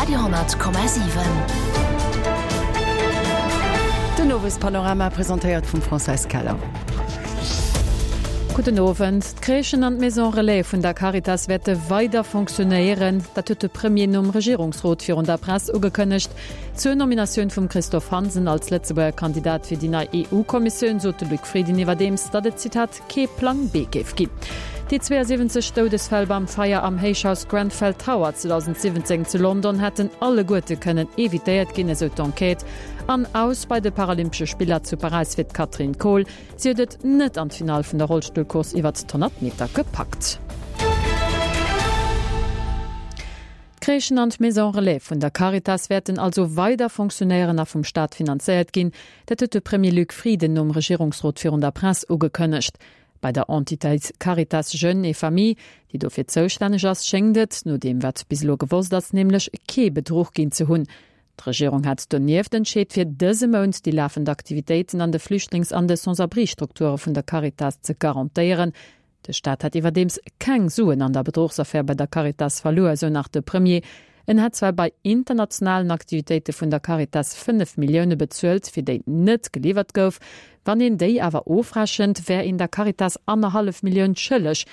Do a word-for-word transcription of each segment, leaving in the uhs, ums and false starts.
Radio honnert Komma siwen. Den Owespanorama presentéiert vum Françoise Keller. Gudden Owend. D'Crèchen an d'Maison Relais vun der Caritas wäerte weider fonctionnéieren. Dat huet de Premier nom Regierungsrot virun der Press ugekënnegt. Zur Nominatioun vum Christophe Hansen als Lëtzebuerger Kandidat fir déi nei EU-Kommissioun sot de Luc Frieden iwwerdeems, datt et, Zitat, kee Plang B géif ginn. Déi zweeënsiwwenzeg Doudesfäll beim Feier am Héichhaus Grenfell Tower zweedausendsiwwenzéng zu London hätten alleguerte kënnen evitéiert ginn, esou d'Enquête. An aus bei de Paralympesche Spiller zu Paräis fir d'Katrin Kohl. Si huet et net an d'Finall vun der Rollstullcourse iwwert d'honnert Meter gepackt. D'Crèchen an d'Maison Relais vun der Caritas wäerten also weider fonctionnéieren a vum Staat finanzéiert ginn. Dat huet de Premier Luc Frieden nom Regierungsrot virun der Press ugekënnegt. Bei der Entitéit Caritas Jeunes et Familles, déi dofir zoustänneg ass, schéngt et, no deem wat bis elo gewosst ass, nämlech kee Bedruch ginn ze hunn. D'Regierung hat donieft entscheet, fir dëse Mount déi lafend Aktivitéiten an de Flüchtlings an de Sans-abri-Strukture vun der Caritas ze garantéieren. De Staat hätt iwwerdeems keng Suen an der Bedruchsaffär bei der Caritas verluer, esou nach de Premier. En hätt zwar bei internationalen Aktivitéite vun der Caritas fënnef Millioune bezuelt, fir déi net geliwwert gouf. Wann een déi awer ofrechent, wär een der Caritas annerhallef Millioun schëlleg.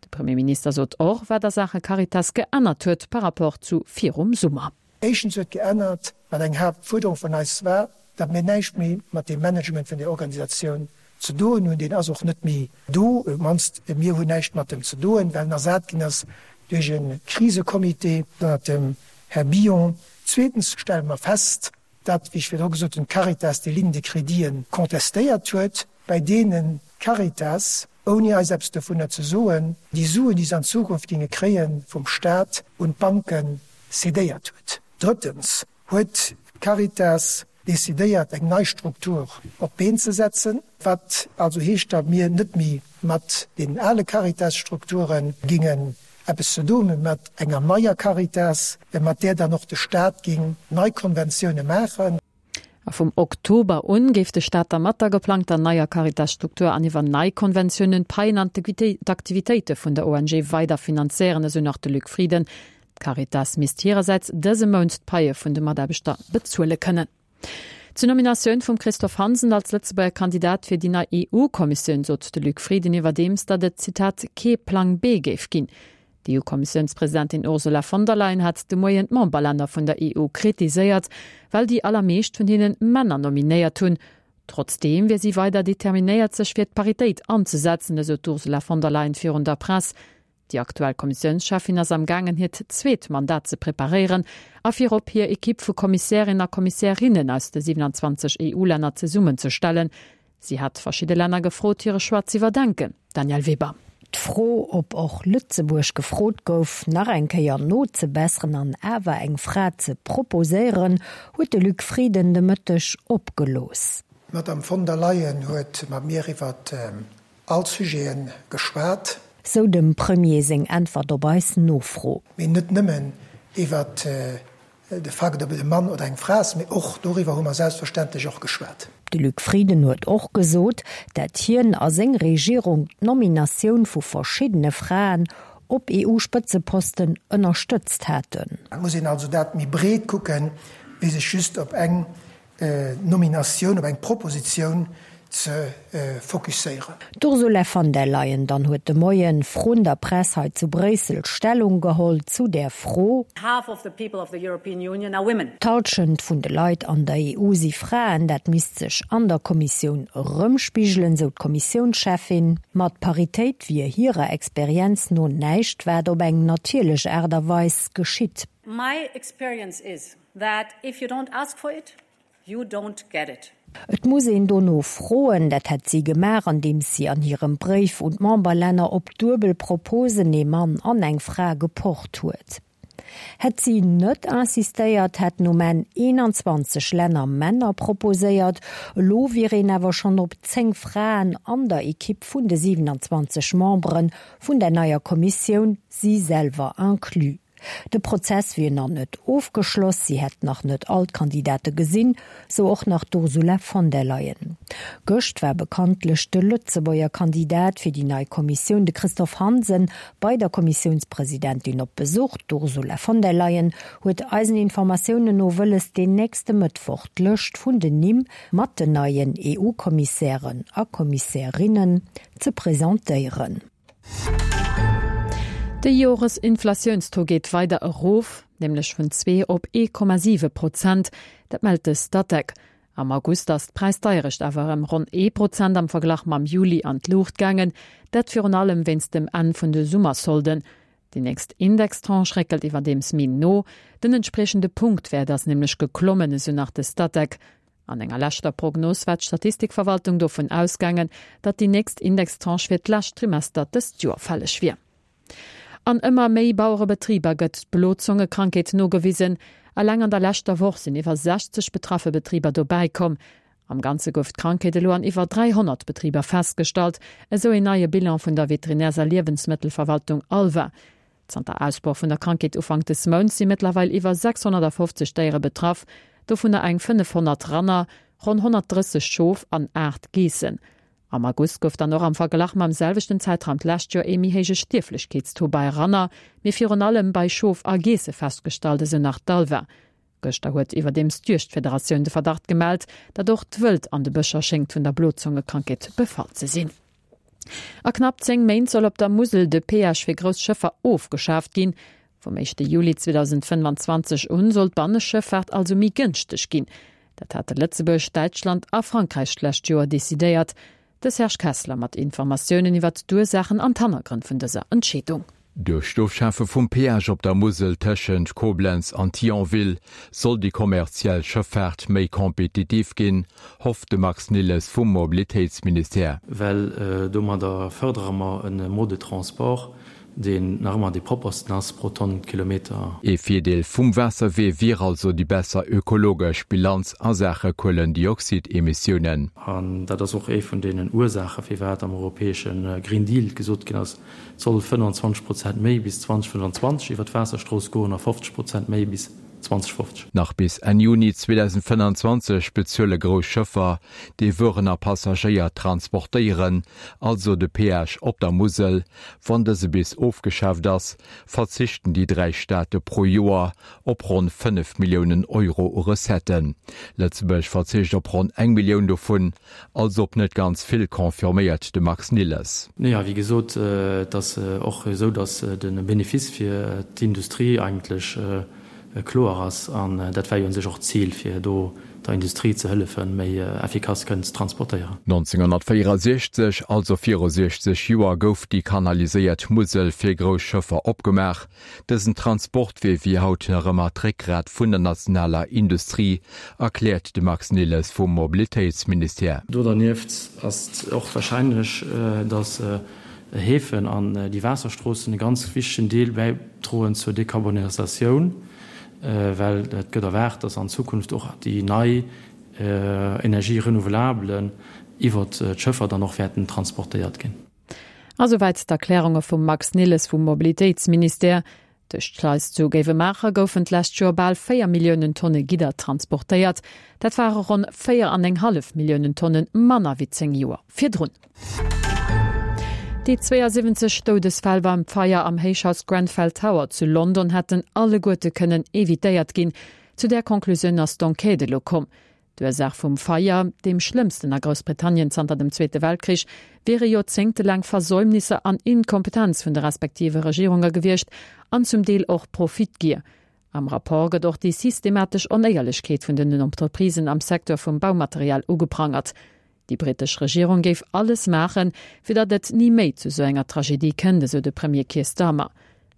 De Premierminister sot och, wat a Saache Caritas geännert huet par rapport zu virum Summer. Éischtens huet geännert, wat eng Haaptfuerderung vun eis war, datt mir näischt méi mat deem Management vun där Organisatioun ze doen hunn. Deen ass och net méi do, op d'mannst mir hunn näischt mat em ze doen, well en ersat ginn ass duerch e Krisecomité ënnert dem Här Billon. Zweetens stelle mer fest, datt, wéi ech virdru gesot hunn, d'Caritas déi Ligne de créditen contestéiert huet, bei deenen d'Caritas, ouni eis eppes dovunner ze soen, déi Suen, déi se an Zukunft géinge kréie vum Stat, un d'Banke cédéiert huet. Drëttens huet d'Caritas decidéiert, eng nei Struktur op d'Been ze setzen, wat also heescht, datt mir net méi mat deenen ale Caritas-Strukture gingen eppes ze doen hunn, mä mat enger neier Caritas, mat där dann och de Stat ging nei Konventioune maachen. A vum Oktober un géif de Staat da mat der geplangter neier Caritas-Struktur an iwwer nei Konventiounen d'Paien an d'Aktivitéite vun der O N G weider finanzéieren, esou nach de Luc Frieden. D'Caritas misst hirersäits dëse Mount d'Paie vun de Mataarbechter bezuele kënnen. Zur Nominatioun vum Christophe Hansen als Lëtzebuerger Kandidat fir déi nei E U-Kommissioun sot de Luc Frieden iwwerdeems, datt et, Zitat, kee Plang B géif ginn. D'E U-Kommissiounspresidentin Ursula von der Leyen hat de Moien d'Memberlänner vun der E U kritiséiert, well déi allermeescht vun hinnen Männer nominéiert hunn. Trotzdeem wier si weider determinéiert, sech fir d'Paritéit anzesetzen, esou d'Ursula von der Leyen virun der Press. Déi aktuell Kommissiounscheffin ass am gaangen, hiert zweet Mandat ze preparéieren a virop hir Ekipp vu Kommissärinnen a Kommissärinnen aus de siewenundzwanzeg E U-Länner zesummenzestellen. Si hat verschidde Länner gefrot, hire Choix z'iwwerdenken. Danièle Weber. D'Fro, ob och Lëtzebuerg gefrot gouf, nach eng Kéier nozebesseren an awer eng Fra ze proposéieren, huet de Luc Frieden de Mëtteg opgelooss. D'Madame von der Leyen huet mat mir iwwer all Sujete geschwat. Sou dem Premier seng Äntwert op eis Nofro. Mee net nëmmen iwwer de Fakt, ob et e Mann oder eng Fra ass, mee och doriwwer hu mer selbstverständlech och geschwat. De Luc Frieden huet och gesot, dat hien a seng Regierung d'Nominatioun vu verschiddene Fraen op E U-Spëtzeposten ënnerstëtzt hätten. Et muss een also dat méi breet kucken, wéi sech just op eng Nominatioun, op eng Propositioun ze fokusséieren. D'Ursula von der Leyen dann huet de Moien vrun der Press hei zu Bréissel Stellung geholl zu där Fro. Half of the people of the European Union are women. D'Hallschent vun de Leit an der E U si Fraen, dat misst sech an der Kommissioun erëmspigelen, sou d'Kommissiounscheffin. Ma d'Paritéit wier hirer Experienz no näischt, wat op eng natierlech Aart a Weis geschitt. My experience is that if you don't ask for it, you don't get it. Et muss een dono froen, dat hätt si gemaach, andeems si an hirem Bréif un d'Memberlänner op duebel Proposen ee Mann an eng Fra gepocht huet. Hätt si net insistéiert, hätten um Enn eenanzwanzeg Länner Männer proposéiert, elo wier een awer schonn op zéng Fraen an der Ekipp vun de siewenundzwanzeg Membere vun der neier Kommissioun, si selwer inclus. De Prozess wier nach net ofgeschloss, si hätt nach net all d'Kandidate gesinn, sou och nach d'Ursula von der Leyen. Gëscht war bekanntlech de Lëtzebuerger Kandidat fir déi nei Kommissioun, de Christophe Hansen, bei der Kommissiounspresidentin op Besuch. D'Ursula von der Leyen huet eisen Informatiounen no wëlles, den nächste Mëttwoch d'Lëscht vun den Nimm mat den neien EU-Kommissären a Kommissärinnen ze presentéieren. De Joresinflatiounstaux geet weider erof, nämlech vun zwee op ee Komma siwe Prozent, dat mellt de Statec. Am August ass d'Präisdeierecht awer ëm ronn ee Prozent am Verglach mam Juli an d'Luucht gaangen, dat virun allem wéinst dem Enn vun de Summersolden. Déi nächst Indextranche réckelt iwwerdeems méi no, den entspriechende Punktwäert ass nämlech geklommen, esou nach de Statec. An enger leschter Prognos war d'Statistikverwaltung dovun ausgaangen, datt déi nächst Indextranche fir d'lescht Trimester dëst Joer fälleg wier. An ëmmer méi Bauerebetriber gëtt d'Blozongekrankheet nogewisen. Eleng an der leschter Woch sinn iwwer sechzeg betraffe Betriber dobäi komm. Am Ganze gouf d'Krankheet elo an iwwer dräihonnert Betriber festgestallt, esou een neie Bilan vun der Veterinärs a Liewensmëttelverwaltung ALVA. Zanter Ausbroch vun der Krankheet Ufank des Mounts si mëttlerweil iwwer sechshonnertfofzeg Déiere betraff, dovunner eng fënnefhonnert Ranner, ronn honnertdrësseg Schof an aacht Geessen. Am August gouf dann och am Verglach mam selwechten Zäitraum d'lescht Joer ee méi héije Stierflechkeetstaux bei Ranner, mee virun allem bei Schof a Geesse festgestallt, esou nach d'ALVA. Gëschter huet iwwerdeems d'Juegdfederatioun de Verdacht gemellt, datt och d'Wëld an de Bëscher schéngt vun der Blozongekrankheet befall ze sinn. A knapp zéng Méint soll op der Musel de Peage fir grouss Schëffer ofgeschaaft ginn. Vum éischte Juli zweedausendfënnwanzwanzeg un soll d'Banneschëffaart also méi gënschteg ginn. Dat hate Lëtzebuerg, Däitschland a Frankräich d'lescht Joer decidéiert. De Serge Kessler mat Informatiounen iwwert d'Ursaachen an d'Hannergrënn vun dëser Entscheedung. Duerch d'Ofschafe vum Peage op der Musel tëschent Koblenz an Thionville soll déi kommerziell Schëffaart méi kompetitiv ginn, hofft de Max Nilles vum Mobilitéitsministère. Well domadder fërdere mer e Mode de transport, deen nach ëmmer dee proppersten ass pro Tonn Kilometer. Ee Virdeel vum Waasserwee wier also déi besser ökologesch Bilanz a Saache Kuelendioxid-Emissiounen. An dat ass och ee vun deenen Ursaache firwat am europäesche Green Deal gesot ginn ass, et soll fënnwanzwanzeg Prozent méi bis zweedausendfënnwanzwanzeg iwwer d'Waasserstrooss goen a fofzeg Prozent méi bis zweedausendfofzeg. Nach bis Enn Juni zweedausendfënnwanzwanzeg bezuele grouss Schëffer, déi Wueren a Passagéier transportéieren, also de Peage op der Musel. Wann dëse bis ofgeschaaft ass, verzichten déi dräi Staate pro Joer op ronn fënnef Milliounen Euro u Recetten. Lëtzebuerg verzicht op ronn eng Millioun dovun, also op net ganz vill, confirméiert de Max Nilles. Naja, wéi gesot, et ass och esou, datt de Benefice fir d'Industrie eigentlech kloer ass. An dat war jo u sech och d'Zil, fir do der Industrie ze hëllefen, méi effikass kënnen ze transportéieren. nonzénghonnertvéierundsechzeg, also viru siechzeg Joer, gouf déi kanaliséiert Musel fir grouss Schëffer opgemaach. Dësen Transportwee wier haut nach ëmmer d'Réckgrat vun der nationaler Industrie, erkläert de Max Nilles vum Mobilitéitsministère. Do dernieft ass et och warscheinlech, datt Häfen an déi Waasserstroossen e ganz wichtegen Deel bäidroen zur Dekarbonisatioun, well et gëtt erwaart, datt an Zukunft och déi nei Energies renouvelables iwwert d'Schëffer dann och wäerten transportéiert ginn. A souwäit d'Erklärunge vum Max Nilles vum Mobilitéitsministère. Duerch d'Schleis zu Géiwemaacher goufen d'lescht Joer bal véier Milliounen Tonne Gidder transportéiert. Dat ware ronn véier an eng hallef Milliounen Tonnen manner wéi zéng Joer virdrun. Déi zweeënsiwwenzeg Doudesfäll beim Feier am Héichhaus Grenfell Tower zu London hätten alleguerte kënnen evitéiert ginn. Zu där Conclusioun ass d'Enquête elo komm. D'Ursaach vum Feier, deem schlëmmsten a Groussbritannien zanter dem Zweete Weltkrich, wiere joerzéngtelaang Versäumnisser an Inkompetenz vun de respektive Regierunge gewiescht an zum Deel och Profitgier. Am Rapport gëtt och déi systematesch Onéierlechkeet vun den Entreprisen am Secteur vum Baumaterial ugeprangert. Déi brittesch Regierung géif alles maachen, fir datt et ni méi zu sou enger Tragedie kënnt, esou de Premier Keir Starmer.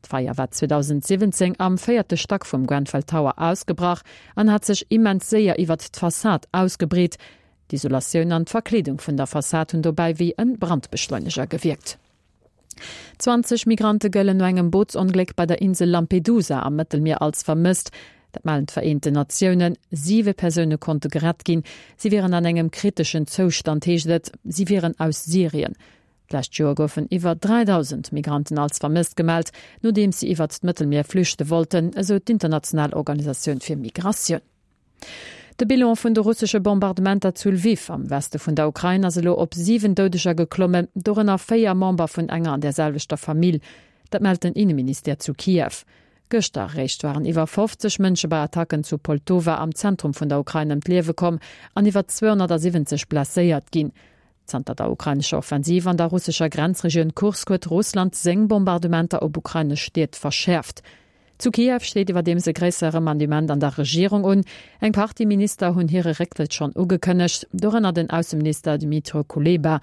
D'Feier war zweedausendsiwwenzéng am véierte Stack vum Grenfell Tower ausgebrach an hat sech immens séier iwwert d'Fassad ausgebreet. D'Isolatioun an d'Verkleedung vun der Fassad hunn dobäi wéi e Brandbeschleuneger gewierkt. Zwanzeg Migrante gëllen no engem Bootsongléck bei der Insel Lampedusa am Mëttelmier als vermësst. Dat mellen d'Vereenten Natiounen. Siwe Persoune konnte gerett ginn. Si wieren an engem kriteschen Zoustand, heescht et. Si wieren aus Syrien. D'lescht Joer goufen iwwer dräidausend Migranten als vermësst gemellt, nodeems si iwwert d'Mëttelmier flüchte wollten, esou d'international Organisatioun fir Migratioun. De Bilan vun de russesche Bombardementer zu Lwiw am Weste vun der Ukrain ass elo op siwen Doudeger geklommen, dorënner véier Member vun enger an der selwechter Famill. Dat mellt den Inneministère zu Kiew. Gëschter réischt waren iwwer fofzeg Mënsche bei Attacken zu Poltowa am Zentrum vun der Ukrain ëm d'Liewe komm an iwwer zweehonnertsiwwenzeg blesséiert ginn. Zanter der ukrainescher Offensiv an der russescher Grenzregioun Kursk huet Russland seng Bombardementer op ukrainesch Stied verschäerft. Zu Kiew steet iwwerdeems e gréissere Remaniement an der Regierung un. Eng Partie Minister hunn hire Récktrëtt schonn ugekënnegt, dorënner den Ausseminister Dmytro Kuleba.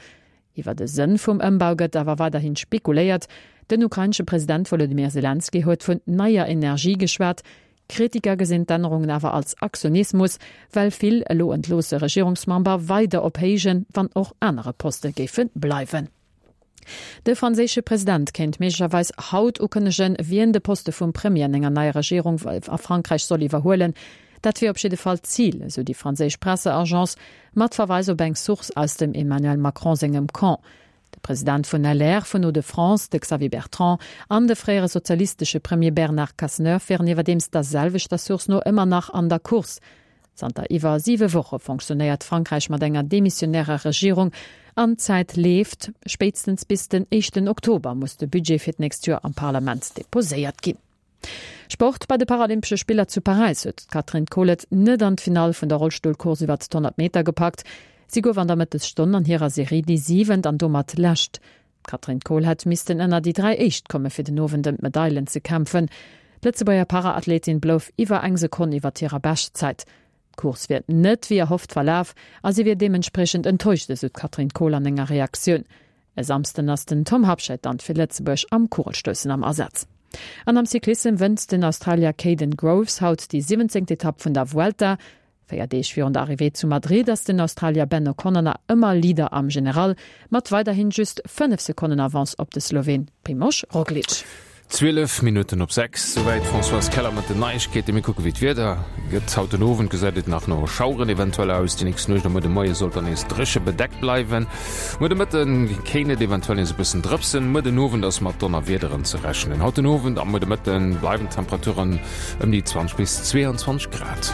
Iwwer de Sënn vum Ëmbau gëtt awer weiderhi spekuléiert. Den ukrainesche President Wolodymyr Selenskyj huet vun neier Energie geschwat. Kritiker gesinn d'Ännerungen awer als Aktionismus, well vill elo entloosse Regierungsmember weider op héijen, wann och anere Poste géife bleiwen. De franséische President kéint méiglecherweis haut ukënnegen, wien de Poste vum Premier an enger neier Regierung a Frankräich soll iwwerhuelen. Dat wier op jidde Fall d'Zil, esou déi franséisch Presseagence mat Verweis op eng Source aus dem Emmanuel Macron sengem Camp. De President vun L R, vun Hauts-de-France, de Xavier Bertrand, an de fréiere sozialistesche Premier Bernard Cazeneuve wieren iwwerdeems der selwechter Source no ëmmer nach an der Course. Zanter iwwer siwe Woche fonctionéiert Frankräich mat enger demissionärer Regierung an d'Zäit leeft. Spéitstens bis den éischten Oktober muss de Budget fir d'nächst Joer am Parlament deposéiert ginn. Sport, Bei de Paralympesche Spiller zu Paräis huet d'Katrin Kohl et net an d'Finall vun der Rollstullcourse iwwer d'honnert Meter gepackt. Si gouf an der Mëttesstonn an hirer Serie déi siwent an domat lescht. D'Katrin Kohl hätt missten ënner déi dräi éischt komme fir den Owend ëm d'Medailen ze kämpfen. D'Lëtzebuerger Paraathletin blouf iwwer eng Sekonn iwwer hirer Beschtzäit. D'Course wier net wéi erhofft verlaf a si wier deementspriechend enttäuscht, esou d'Katrin Kohl an enger Reaktioun. E Samsden ass den Tom Habscheid dann fir Lëtzebuerg am Kugelstoussen am Asaz. An am Cyclissem wënnt den Australier Kaden Groves haut déi siwwenzéngt Etapp vun der Vuelta. Véier Deeg virun der Arrivée zu Madrid ass den Australier Ben O'Connor nach ëmmer Leader am General, mat weiderhin just fënnef Sekonnen Avance op de Sloween Primož Roglič. Zwielef Minutten op sechs, souwäit d'Françoise Keller mat den Neiegkeeten. Mir kucke wéi d'Wieder gëtt. Haut den Owend gesäit et nach no Schaueren eventuell aus. Déi nächst Nuecht a muer de Moie sollt dann nees dréche bedeckt bleiwen. Muer de Mëtte kéint et eventuell nees e bëssen drëpsen. Muer den Owend ass mat Donnerwiederen ze rechnen. Haut den Owend a muer de Mëtte bleiwen d'Temperaturen ëm déi zwanzeg bis zweeanzwanzeg Grad.